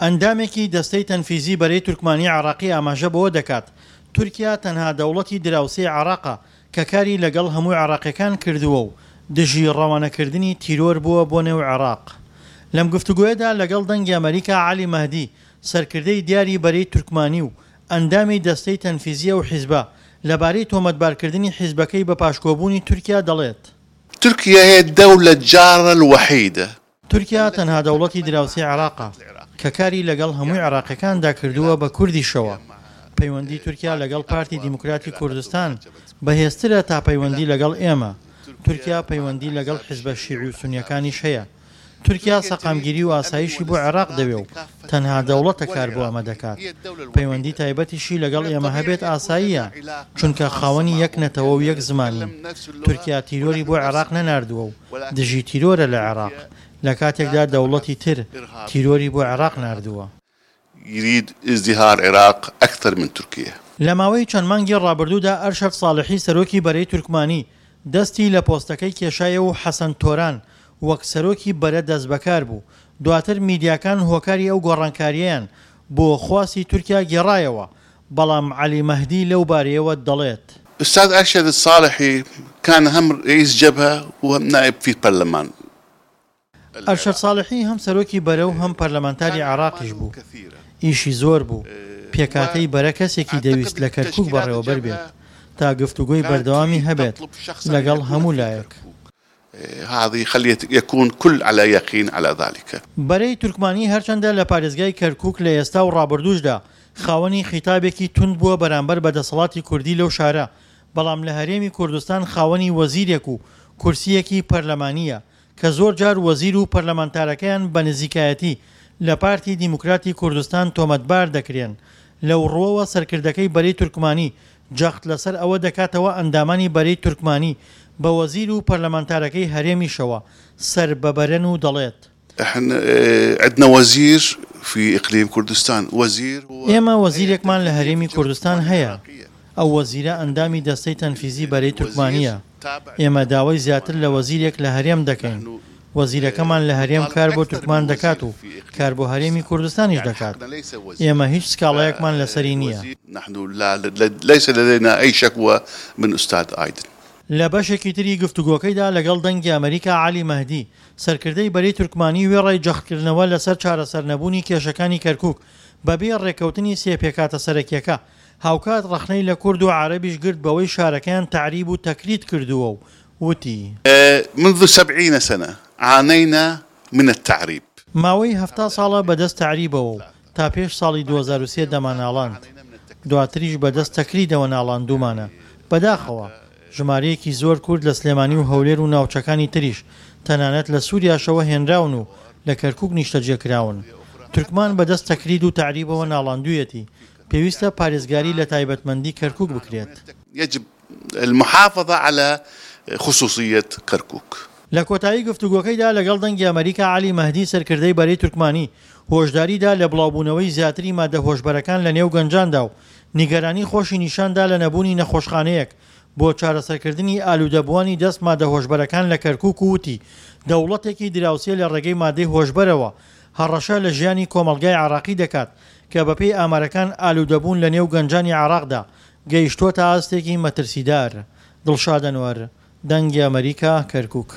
ئەندامێکی دەستەی تەنفیزی بەرەی تورکمانی عێراقی ئاماژە بەوە دەکات، تورکیا تەنها دەوڵەتی دراوسێی عێراقە کە کاری لەگەڵ هەموو عێراقیەکان کردووە و دژی ڕەوانەکردنی تیرۆر بووە بۆ نێو عێراق. لەم گفتوگۆیەدا لەگەڵ دەنگی ئەمەریکا عەلی مەهدی سەرکردەی دیاری بەرەی تورکمانی و ئەندامی دەستەی تەنفیزی ئەو حیزبە لەبارەی تۆمەتبارکردنی حیزبەکەی بە پاشکۆبوونی تورکیا دەڵێت. ترکیا هی الدولە الجارە الوحیدە. تورکیا تەنها دەوڵەتی دراوسێی عێراقە کە کاری لەگەڵ هەمووی عێراقیەکاندا کردووە بە کوردیشەوە. پەیوەندی تورکیا لەگەڵ پارتی دیموکراتی کوردستان بەهێزترە تا پەیوەندی لەگەڵ ئێمە. تورکیا پەیوەندی لەگەڵ حیزبە شیعی و سونیەکانیش هەیە. تورکیا سەقامگیری و ئاسایشی بۆ عێراق دەوێ و تەنها دەوڵەتە کار بۆ ئەمە دەکات. پەیوەندی تایبەتیشی لەگەڵ ئێمە هەبێت ئاساییە، چونکە خاوەنی یەک نەتەوە و یەک زمانین. تورکیا تیرۆری بۆ عێراق نەناردووە و دژی تیرۆرە لە عێراق، لە کاتێکدا دەوڵەتی تر تیرۆری بۆ عێراق ناردووە. یرید ازدهار عراق اکثر من ترکیە. لە ماوەی چەند مانگی ڕابردوودا ئەرشەد ساڵحی سەرۆکی بەرەی تورکمانی دەستی لە پۆستەکەی کێشایەوە و حەسەن تۆران وەک سەرۆکی بەرە دەستبەکار بوو، دواتر میدیاکان هۆکاری ئەو گۆڕانکارییەیان بۆ خواستی تورکیا گێڕایەوە، بەڵام عەلی مەهدی لەو بارەیەوە دەڵێت. استاذ ارشد الصالحی كان هم رئیس جبهە و هم نائب فی پەرلەمان. ئەرشەد ساڵحی هەم سەرۆکی بەرە و هەم پەرلەمانتاری عێراقیش بوو، ئیشی زۆر بوو، پێکهاتەی بەرە کەسێکی دەویست لە کەرکوک بەڕێوەبەر بێت تا گفتوگۆی بەردەوامی هەبێت لەگەڵ هەموو لایەک. بەرەی تورکمانی هەرچەندە لە پارێزگای کەرکوک لە ئێستا و ڕابردووشدا خاوەنی خیتابێکی توند بووە بەرامبەر بە دەسەڵاتی کوردی لەو شارە، بەڵام لە هەرێمی کوردستان خاوەنی وەزیرێک و کورسییەکی پەرلەمانییە کە زۆر جار وەزیر و پەرلەمانتارەکەیان بە نزیکایەتی لە پارتی دیموکراتی کوردستان تۆمەتبار دەکرێن، لەو ڕووەوە سەرکردەکەی بەرەی تورکمانی جەخت لەسەر ئەوە دەکاتەوە ئەندامانی بەرەی تورکمانی بە وەزیر و پەرلەمانتارەکەی هەرێمیشەوە سەر بە بەرەن و دەڵێت. احنا عندنا وزیر في اقليم كردستان وزیر هو ئێمە وەزیرێکمان لە هەرێمی کوردستان هەیە، ئەو وەزیرە ئەندامی دەستەی تەنفیزی بەرەی تورکمانییە، ئێمە داوای زیاتر لە وەزیرێک لە هەرێم دەکەین، وەزیرەکەمان لە هەرێم کار بۆ تورکمان دەکات و کار بۆ هەرێمی کوردستانیش دەکات، ئێمە هیچ سکاڵایەکمان لەسەری نییە. لە بەشێکی تری گفتوگۆکەیدا لەگەڵ دەنگی ئەمەریکا عەلی مەهدی، سەرکردەی بەرەی تورکمانی وێڕای جەختکردنەوە لەسەر چارەسەرنەبوونی کێشەکانی کەرکوک بەبێ ڕێککەوتنی سێ پێکهاتە سەرەکیەکە، هاوکات ڕەخنەی لە کورد و عەرەبیش گرت بەوەی شارەکەیان تەعریب و تەکریت کردووە و وتی. منذ سبعین سنە عانینا من التعریب. ماوەی 70 ساڵە بەدەست تەعریبەوە و تا پێش ساڵی 2003 دەمانناڵاند، دواتریش بەدەست تەکریدەوە ناڵاندوومانە، بەداخەوە ژمارەیەکی زۆر کورد لە سلێمانی و هەولێر و ناوچەکانی تریش، تەنانەت لە سوریاشەوە هێنراون و لە کەرکوک نیشتەجێ کراون. تورکمان بەدەست تەکرید و تەعریبەوە ناڵاندوویەتی، پێویستە پارێزگاری لە تایبەتمەندی کەرکوک بکرێت. یجب المحافظە علی خصوصیە کرکوک. لە کۆتایی گفتوگۆکەیدا لەگەڵ دەنگی ئەمەریکا عەلی مەهدی سەرکردەی بەرەی تورکمانی هۆشداری دا لە بڵاوبوونەوەی زیاتری مادە هۆشبەرەکان لە نێو گەنجاندا و نیگەرانی خۆشی نیشاندا لە نەبوونی نەخۆشخانەیەک بۆ چارەسەرکردنی ئالوودەبووانی دەست مادە هۆشبەرەکان لە کەرکوک و وتی دەوڵەتێکی دراوسێ لە ڕێگەی مادەی هۆشبەرەوە هەڕەشە لە ژیانی کۆمەڵگای عێراقی دەکات کە بەپێی ئامارەکان ئالوودەبوون لە نێو گەنجانی عێراقدا گەیشتووەتە ئاستێکی مەترسیدار. دڵشاد ئەنوەر، دەنگی ئەمەریکا، کەرکوک.